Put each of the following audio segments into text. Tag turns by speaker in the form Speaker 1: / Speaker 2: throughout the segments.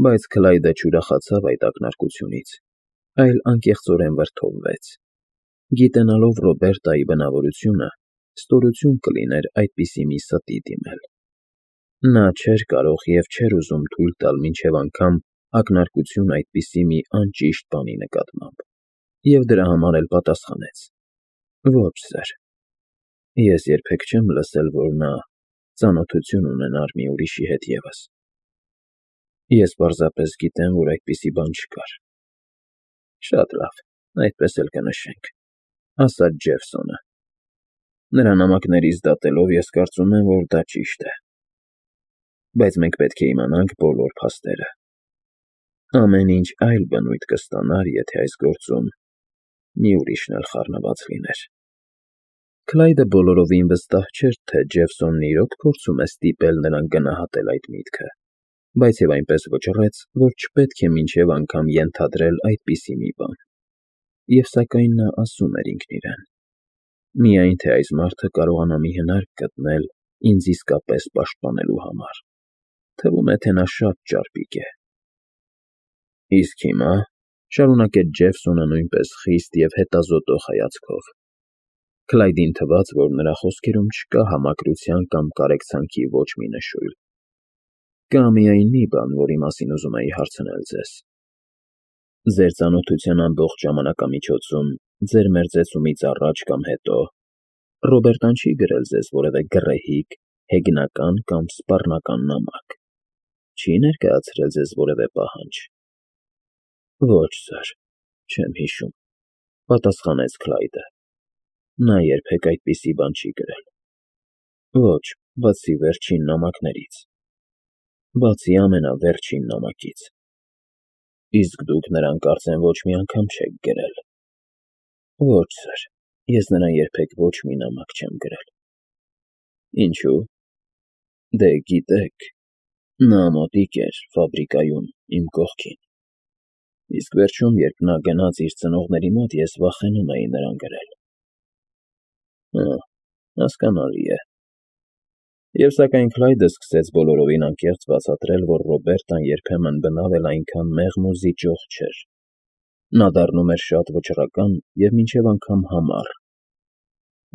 Speaker 1: Բայց Քլայդը չուրախացավ այդ ակնարկությունից, այլ անկեղծորեն վրդովվեց. գիտենալով Ռոբերտայի բնավորությունը, ստորություն կլիներ այդպիսի մի ստի դիմել։ Նա չէր կարող և չէր ուզում թույլ տալ մինչև անգամ ակնարկություն այդպիսի մի անճիշտ բանի նկատմամբ, և դրա համար էլ պատասխանեց. Ոչ, սըր, ես երբեք չեմ լսել, որ նա ծանոթություն ունենար մի ուրիշի հետ ևս։ Ես պարզապես գիտեմ, որ այդպիսի բան չկար։ Շատ լավ, այդպես էլ կնշենք, ասաց Ջեֆսոնը։ Նրա նամակներից դատելով ես կարծում եմ, որ դա ճիշտ է։ Բայց մենք պետք է իմանանք բոլոր փաստերը։ Ամեն ինչ այլ բնույթ կստանար, եթե այս գործում մի ուրիշն էլ խառնված լիներ։ Քլայդը բոլորովին վստահ չէր, թե Ջեֆսոնն իրոք փորձում է ստիպել նրան գնահատել այդ միտքը, բայց և այնպես վճռեց, որ չպետք է մինչև անգամ ենթադրել այդպիսի մի բան։ Եվ սակայն նա ասում էր ինքն իրեն. միայն թե այս մարդը կարողանա մի հնարք գտնել ինձ իսկապես պաշտպանելու համար։ Թվում է, թե նա շատ ճարպիկ է։ Իսկ հիմա, շարունակեց Ջեֆսոնը նույնպես խիստ և հետազոտող հայացքով, Քլայդին թվաց, որ նրա խոսքերում չկա համակրության կամ կարեկցանքի ոչ մի նշույլ։ Կա միայն մի բան, որի մասին ուզում էի հարցնել ձեզ։ Ձեր ծանոթության ամբողջ ժամանակամիջոցում, ձեր մերձեցումից առաջ կամ հետո, Ռոբերտան չի գրել ձեզ որևէ գռեհիկ, հեգնական կամ սպառնական նամակ, չի ներկայացրել ձեզ որևէ պահանջ։ Ոչ, սըր, չեմ հիշում, պատասխանեց Քլայդը։ Նա երբեք այդպիսի բան չի գրել։ Ոչ, բացի վերջին նամակներից։ Բացի ամենավերջին նամակից։ Իսկ դուք նրան կարծեմ ոչ մի անգամ չեք գրել։ Ոչ, սըր, ես նրան երբեք ոչ մի նամակ չեմ գրել։ Ինչու՞։ Դե գիտեք, նա մոտիկ էր ֆաբրիկայում իմ կողքին։ Իսկ վերջում, երբ նա գնաց իր ծնողների մոտ, ես վախենում էի նրան գրել։ Հասկանալի է։ Եվ սակայն Քլայդը սկսեց բոլորովին անկեղծ բացատրել, որ Ռոբերտան երբեմն բնավ էլ այնքան մեղմ ու զիջող չէր։ Նա դառնում էր շատ վճռական և մինչև անգամ համառ։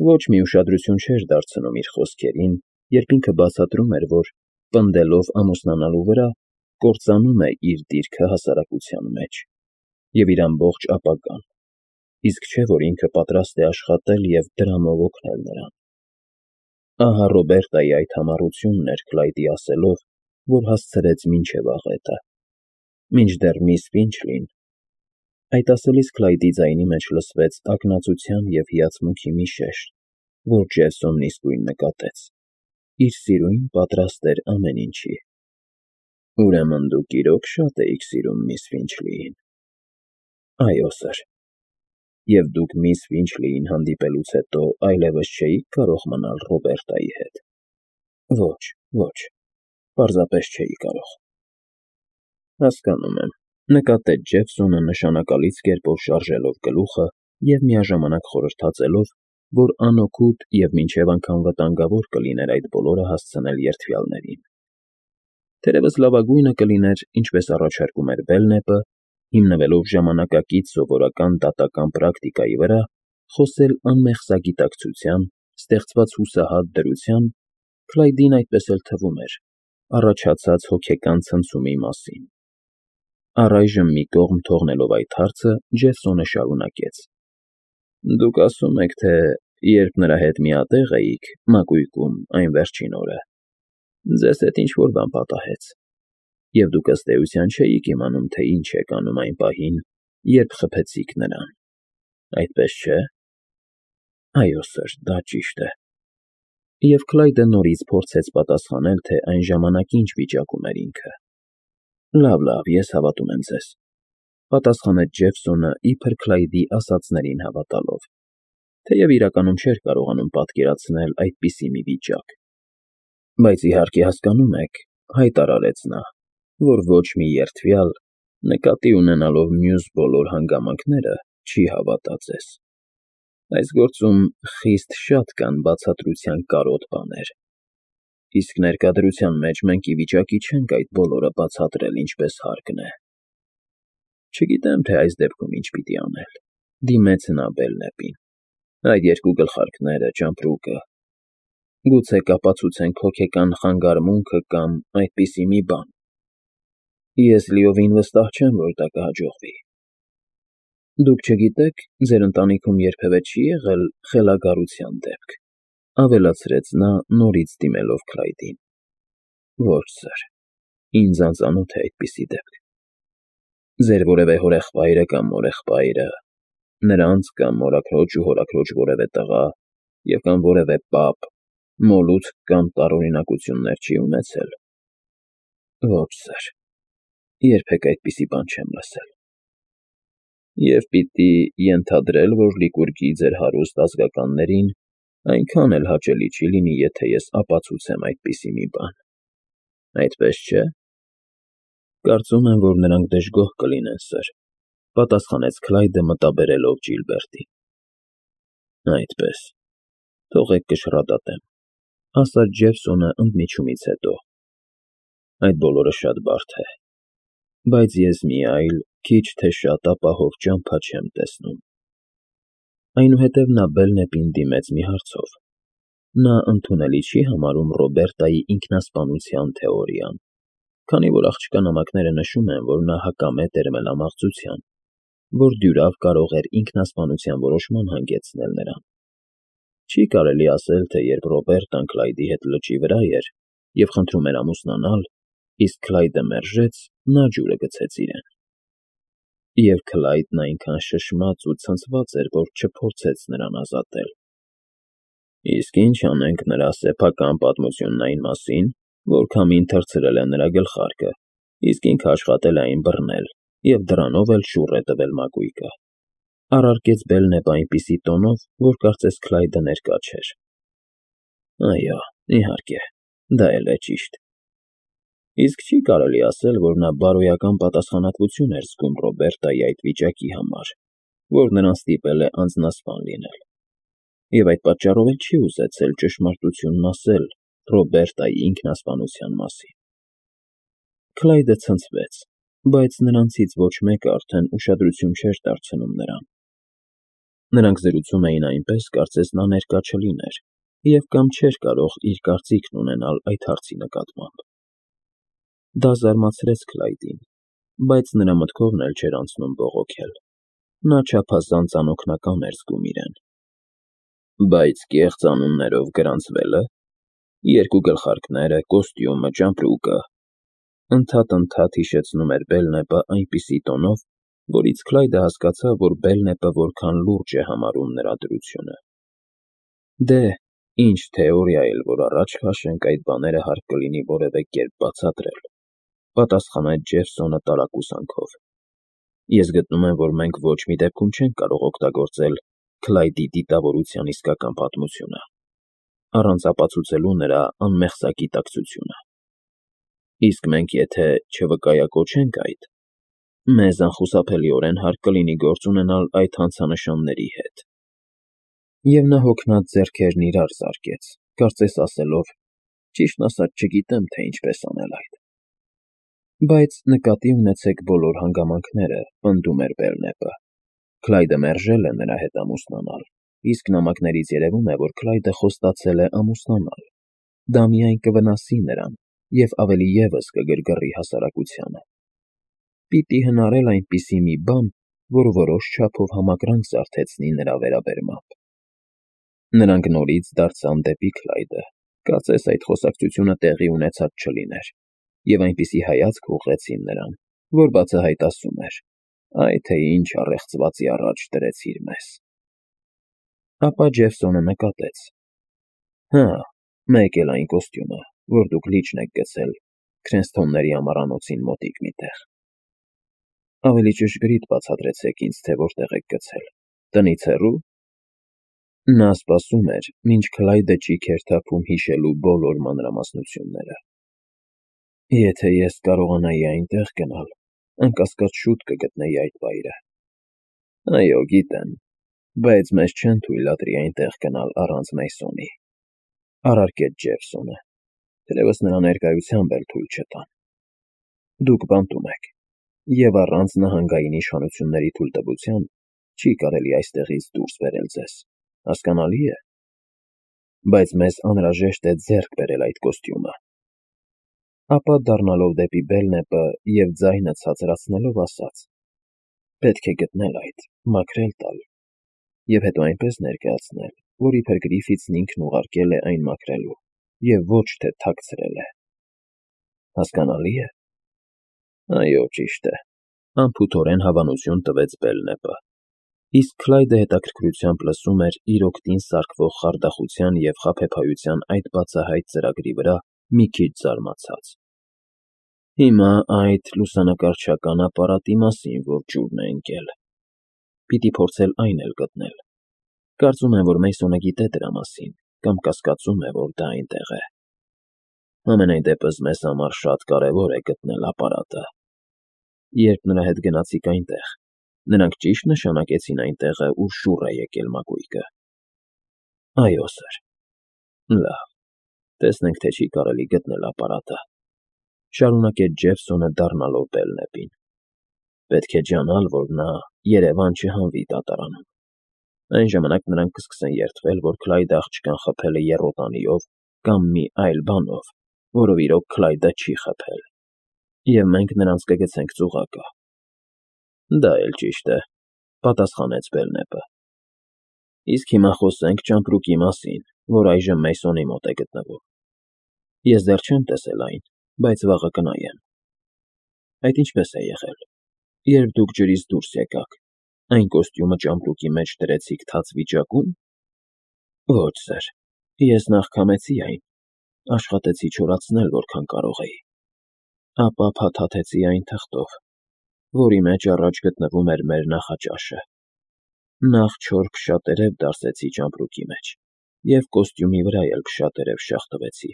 Speaker 1: Ոչ մի ուշադրություն չէր դարձնում իր խոսքերին, երբ ինքը բացատրում էր, որ, պնդելով ամուսնանալու վրա, կործանում է իր դիրքը հասարակության մեջ և իր ամբողջ ապագան, իսկ չէ, որ ինքը պատրաստ է աշխատել և դրամով օգնել նրան։ Ահա Ռոբերտայի այդ համառությունն էր Քլայդի ասելով, որ հասցրեց մինչև աղետը։ Մինչդեռ միս Ֆինչլին… Այդ ասելիս Քլայդի ձայնի մեջ լսվեց ակնածության և հիացմունքի մի շեշտ, որ Ջեֆսոնն իսկույն նկատեց։ Իր սիրուն պատրաստ էր ամեն ինչի։ Ուրեմն դուք իրոք շատ էիք սիրում միս Ֆինչլիին։ Այո, սըր։ Եվ դուք միս Ֆինչլիին հանդիպելուց հետո այլևս չէիք կարող մնալ Ռոբերտայի հետ։ Ոչ, ոչ, պարզապես չէի կարող։ Հասկանում եմ, նկատեց Ջեֆսոնը նշանակալից կերպով շարժելով գլուխը և միաժամանակ խորհրդածելով, որ անօգուտ և մինչև անգամ վտանգավոր կլիներ այդ բոլորը հասցնել երդվյալներին։ Թերևս լավագույնը կլիներ, ինչպես առաջարկում էր Բելնեպը, հիմնվելով ժամանակակից սովորական դատական պրակտիկայի վրա, խոսել անմեղ սագիտակցության, ստեղծված հուսահատ դրության, Քլայդին այդպես էլ թվում էր, առաջացած հոգեկան ցնցումի մասին։ Առայժմ մի կողմ թողնելով այդ հարցը, Ջեֆսոնը շարունակեց. Դուք ասում եք, թե երբ նրա հետ միատեղ էիք, մակույկում, այն վերջին օրը, ձեզ հետ ինչ-որ բան պատահեց, և դուք ըստ էության չէիք իմանում, թե ինչ եք անում այն պահին, երբ խփեցիք նրան, այդպես չէ՞։ Այո, սըր, դա ճիշտ է։ Եվ Քլայդը նորից փորձեց պատասխանել, թե այն ժամանակ ինչ վիճակում էր ինքը։ Լավ, ես հավատում եմ ձեզ, պատասխանեց Ջեֆսոնը իբր Քլայդի ասածներին հավատալով, թեև իրականում չէր կարողանում պատկերացնել այդպիսի մի վիճակ։ Բայց իհարկե հասկանում եք, հայտարարեց նա, որ ոչ մի երդվյալ, նկատի ունենալով մյուս բոլոր հանգամանքները, չի հավատա ձեզ։ Այս գործում խիստ շատ կան բացատրության կարոտ բաներ։ Իսկ ներկա մեջ մենք ի վիճակի չենք այդ բոլորը բացատրել ինչպես հարկն է։ Չգիտեմ, թե այս դեպքում ինչ պիտի անել, դիմեց նա Բելնեպին։ Այդ երկու գլխարկները, ճամպրուկը, գուցե կապացուցենք հոգեկան խանգարմունքը կամ այդպիսի մի բան։ Ես լիովին վստահ չեմ, որ դա կհաջողվի։ Դուք չգիտեք, ձեր ընտանիքում երբևէ չի եղել խելագարության դեպք, ավելացրեց նա նորից դիմելով Քլայդին։ Ոչ, սըր, ինձ անծանոթ է այդպիսի դեպք։ Ձեր որևէ հորեղբայրը կամ մորեղբայրը, նրանց կամ մորաքրոջ ու հորաքրոջ որևէ տղա և կամ որևէ պապ մոլուցք կամ տարօրինակություններ չի ունեցել։ Ոչ, սըր, երբեք այդպիսի բան չեմ լսել։ Եվ պիտի ենթադրել, որ Լիկուրգի ձեր հարուստ ազգականներին այնքան էլ հաճելի չի լինի, եթե ես ապացուցեմ այդպիսի մի բան։ Այդպես չէ։ Կարծում եմ, որ նրանք դժգոհ կլինեն, սըր, պատասխանեց Քլայդը մտաբերելով Ջիլբերտին։ Այդպես, թողեք կշռադատեմ, ասաց Ջեֆսոնը ընդմիջումից հետո։ Այդ բոլորը շատ բարդ է, բայց ես մի այլ, քիչ թե շատ ապահով ճամփա չեմ տեսնում։ Այնուհետև նա Բելնեպին դիմեց մի հարցով. նա ընդունելի չի համարում Ռոբերտայի ինքնասպանության թեորիան, քանի որ աղջկա նամակները նշում են, որ նա հակամետ էր մելամաղձության, որ դյուրավ կարող էր ինքնասպանության որոշման հանգեցնել նրան։ Չի կարելի ասել, թե երբ Ռոբերտան Քլայդի հետ լճի վրա էր և խնդրում էր ամուսնանալ, իսկ Քլայդը մերժեց, նա ջուրը գցեց իրեն։ Եվ Քլայդն այնքան շշմած ու ցնցված էր, որ չփորձեց նրան ազատել։ Իսկ ինչ անենք նրա սեփական պատմությունն այն մասին, որ քամին թռցրել է նրա գլխարկը, իսկ ինքը աշխատել է այն բռնել և դրանով էլ շուռ է տվել մակույկը, առարկեց Բելնեպը այնպիսի տոնով, որ կարծես Քլայդը ներկա չէր։ Այո, իհարկե, դա էլ է ճիշտ։ Իսկ չի կարելի ասել, որ նա բարոյական պատասխանատվություն էր զգում Ռոբերտայի այդ վիճակի համար, որ նրան ստիպել է անձնասպան լինել։ Եվ այդ պատճառով էլ չի ուզեցել ճշմարտությունն ասել Ռոբերտայի ինքնասպանության մասին։ Քլայդը ցնցվեց, բայց նրանցից ոչ մեկը արդեն ուշադրություն չէր դարձնում նրան։ Նրանք զրուցում էին այնպես, կարծես նա ներկա չլիներ, և կամ չէր կարող իր կարծիքն ունենալ այդ հարցի նկատմամբ։ Դա զարմացրեց Քլայդին, բայց նրա մտքովն էլ չէր անցնում բողոքել։ Նա չափազանց անօգնական էր զգում իրեն։ Բայց կեղծ անուններով գրանցվելը, երկու գլխարկները, կոստյումը, ճամպրուկը, ընդհատ հիշեցնում էր Բելնեպը այնպիսի տոնով, որից Քլայդը հասկացավ, որ Բելնեպը որքան լուրջ է համարում նրա դրությունը։ Դե, ինչ թեորիա էլ որ առաջ քաշենք, այդ բաները հարկ կլինի որևէ կերպ բացատրել, պատասխանեց Ջեֆսոնը տարակուսանքով։ Ես գտնում եմ, որ մենք ոչ մի դեպքում չենք կարող օգտագործել Քլայդի դիտավորության իսկական պատմությունը, առանց ապացուցելու նրա անմեղսագիտակցությունը։ Իսկ մենք եթե չվկայակոչենք այդ, մեզ անխուսափելիորեն հարկ կլինի գործ ունենալ այդ հանցանշանների հետ։ Եվ նա հոգնած ձեռքերն իրար զարկեց, կարծես ասելով. ճիշտն ասած չգիտեմ, թե ինչպես անել այդ։ Բայց նկատի ունեցեք բոլոր հանգամանքները, պնդում էր Բելնեպը։ Քլայդը մերժել է նրա հետ ամուսնանալ, իսկ նամակներից երևում է, որ Քլայդը խոստացել է ամուսնանալ։ Դա միայն կվնասի նրան և ավելի ևս կգրգռի հասարակությանը։ Պիտի հնարել այնպիսի մի բան, որ որոշ չափով համակրանք զարթեցնի նրա վերաբերմամբ։ Նրանք նորից դարձան դեպի Քլայդը, կարծես այդ խոսակցությունը տեղի ունեցած չլիներ, և այնպիսի հայացք ուղղեցին նրան, որ բացահայտ ասում էր. «Այ թե ինչ առեղծվածի առաջ դրեցիր մեզ»։ Ապա Ջեֆսոնը նկատեց. «Հա, մեկ էլ այն կոստյումը, որ դուք լիճն եք գցել Քրենսթոնների ամառանոցին մոտիկ մի տեղ։ Ավելի ճշգրիտ բացատրեցեք ինձ, թե որտեղ եք գցել, տնից հեռու»։ Նա սպասում էր, մինչ Քլայդը ճիգ էր թափում հիշելու բոլոր մանրամասնությունները։ Եթե ես կարողանայի այնտեղ գնալ, անկասկած շուտ կգտնեի այդ վայրը։ Այո, գիտեմ, բայց մեզ չեն թույլատրի այնտեղ գնալ առանց Մեյսոնի, առարկեց Ջեֆսոնը։ թերևս նրա ներկայությամբ էլ թույլ չտան։ Դուք բանտում եք, եւ առանց նահանգային իշխանությունների թույլտվության չի կարելի այստեղից դուրս բերել ձեզ, հասկանալի է։ Բայց մեզ անհրաժեշտ է ձեռք բերել այդ կոստյումը։ Ապա դառնալով դեպի Բելնեպը եւ ձայնը ցածրացնելով ասաց. պետք է գտնել այդ, մաքրել տալ, եւ հետո այնպես ներկայացնել, որ իբր Գրիֆիթսն ինքն ուղարկել է այն մաքրելու, եւ ոչ թե թաքցրել է։ Հասկանալի է։ Այո, ճիշտ է, անփութորեն հավանություն տվեց Բելնեպը, իսկ Քլայդը հետաքրքրությամբ լսում էր իր օգտին սարքվող խարդախության եւ խաբեբայության այդ բացահայտ ծրագրի վրա մի քիչ զարմացած։ Հիմա այդ լուսանկարչական ապարատի մասին որ ջուրն է ընկել, պիտի փորձել այն էլ գտնել։ Կարծում եմ, որ Մեյսոնը գիտե դրա մասին, կամ կասկածում է, որ դա այնտեղ է։ Ամենայն դեպս մեզ համար շատ կարևոր է գտնել ապարատը։ Երբ նրա հետ գնացիք այնտեղ, նրանք ճիշտ նշանակեցին այն տեղը, ուր շուռ է եկել մակույկը։ Այո, սըր։ Լավ, տեսնենք, թե չի կարելի գտնել ապարատը։ Շարունակեց Ջեֆսոնը դառնալով Բելնեպին։ Պետք է ջանալ, որ նա Երևան չհանվի դատարանում։ Այն ժամանակ նրանք կսկսեն երդվել, որ Քլայդը աղջկան խփել է եռոտանիով կամ մի այլ բանով, որով իրոք Քլայդը չի խփել։ Եվ մենք նրանց կգցենք ծուղակը։ Դա էլ ճիշտ է, պատասխանեց Բելնեպը։ Իսկ հիմա խոսենք ճամպրուկի մասին, որ այժմ Մեյսոնի մոտ է գտնվում։ Ես դեռ չեմ տեսել այն, բայց վաղը կնայեմ։ Այդ ինչպես է եղել։ Երբ դուք ջրից դուրս եկաք, այն կոստյումը ճամպրուկի մեջ դրեցիք թաց վիճակում։ Ոչ, սэр, ես նախ քամեցի այն, աշխատեցի չորացնել, որքան կարող էի։ Ապա փաթաթեցի այն թղթով, որի մեջ առաջ գտնվում էր մեր նախաճաշը։ Նախ չոր քշատերև դարսեցի ճամպրուկի մեջ և կոստյումի վրա էլ քշատերև շաղ տվեցի։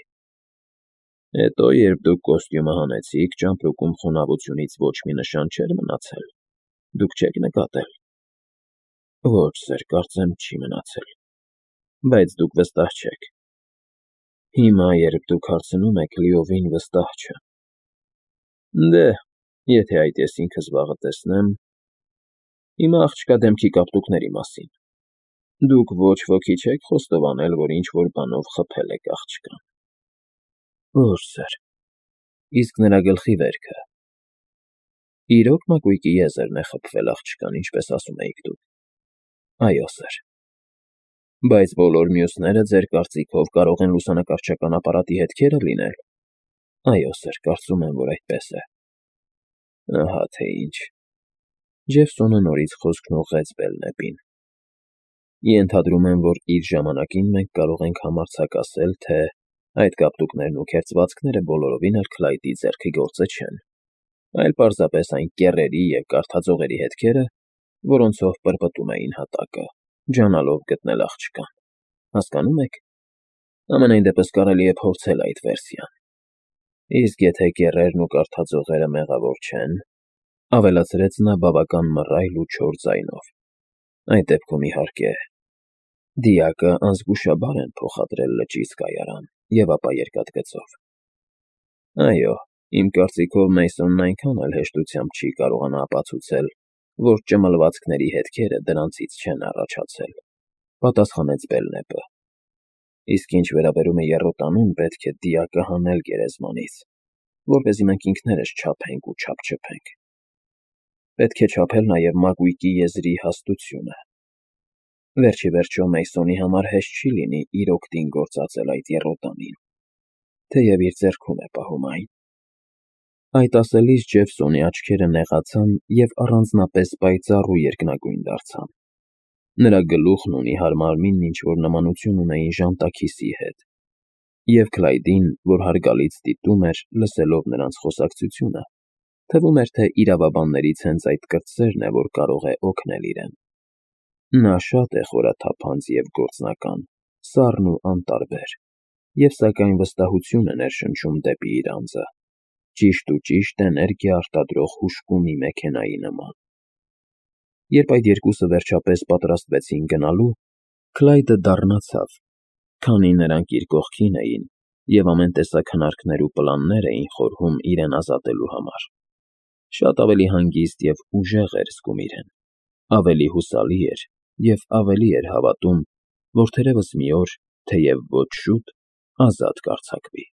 Speaker 1: Հետո, երբ դուք կոստյումը հանեցիք, ճամպրուկում խոնավությունից ոչ մի նշան չէր մնացել։ Դուք չեք նկատել։ Ոչ, սեր, կարծեմ չի մնացել։ Բայց դուք վստահ չեք։ Հիմա, երբ դուք հարցնում եք, լիովին վստահ չեմ։ Դե, եթե այդ ես ինքս վաղը տեսնեմ։ Հիմա աղջկա դեմքի կապտուկների մասին։ Դուք ոչ ոքի չեք խոստովանել, որ ինչ-որ բանով խփել եք աղջկան։ Ոչ, սեր։ Իսկ նրա գլխի վերքը։ Իրոք մակույկի եզրն է խփվել աղջկան, ինչպես ասում էիք դուք։ Այո, սեր։ Բայց բոլոր մյուսները ձեր կարծիքով կարող են լուսանկարչական ապարատի հետքերը լինել։ Այո, սեր, կարծում եմ, որ այդպես է։ Ահա թե ինչ։ Ջեֆսոնը նորից խոսքն ուղղեց Բելնեպին։ Ենթադրում եմ, որ իր ժամանակին մենք կարող ենք համարձակասել, թե այդ կապտուկներն ու քերծվածքները բոլորովին էլ Քլայդի ձեռքի գործը չեն, այլ պարզապես այն կեռերի և կարթածողերի հետքերը, որոնցով պրպտում էին հատակը, ջանալով գտնել աղջկան։ Հասկանո՞ւմ եք։ Ամենայն դեպս կարելի է փորձել այդ վերսիան։ Իսկ եթե կեռերն ու կարթածողերը մեղավոր չեն, ավելացրեց նա բավական մռայլ ու չոր ձայնով, այդ դեպքում, իհարկե, դիակը անզգուշաբար են փոխադրել լճից կայարան և ապա երկաթգծով։ Այո, իմ կարծիքով Մեյսոնն այնքան էլ հեշտությամբ չի կարողանա ապացուցել, որ ճմլվածքների հետքերը դրանցից չեն առաջացել, պատասխանեց Բելնեպը։ Իսկ ինչ վերաբերում է եռոտանուն, պետք է դիակը հանել գերեզմանից, որպեսզի մենք ինքներս չափենք ու չափչփենք։ Պետք է չափել նաև մակույկի եզրի հաստությունը։ Վերջ ի վերջո Մեյսոնի համար հեշտ չի լինի իր օգտին գործածել այդ եռոտանին, թեև իր ձեռքում է պահում այն։ Այդ ասելիս Ջեֆսոնի աչքերը նեղացան և առանձնապես պայծառ ու երկնագույն դարձան։ Նրա գլուխն ու նիհար մարմինն ինչ-որ նմանություն ունեին ժանտաքիսի հետ, և Քլայդին, որ հարգալից դիտում էր, լսելով նրանց խոսակցությունը, թվում էր, թե իրավաբաններից հենց այդ կրտսերն է, որ կարող է օգնել իրեն։ Նա շատ է խորաթափանց և գործնական, սառն ու անտարբեր, և սակայն վստահություն է ներշնչում դեպի իր անձը, ճիշտ էներգիա արտադրող հուժկու մի մեքենայի նման։ Երբ այդ երկուսը վերջապես պատրաստվեցին գնալու, Քլայդը դառնացավ, քանի նրանք իր կողքին էին, և ամեն տեսակ հնարքներ ու պլաններ էին խորհում իրեն ազատելու համար։ Շատ ավելի հանգիստ և ուժեղ էր զգում իրեն, ավելի հուսալի էր և ավելի էր հավատում, որ թերևս մի օր, թեև ոչ շուտ, ազատ կարձակվի։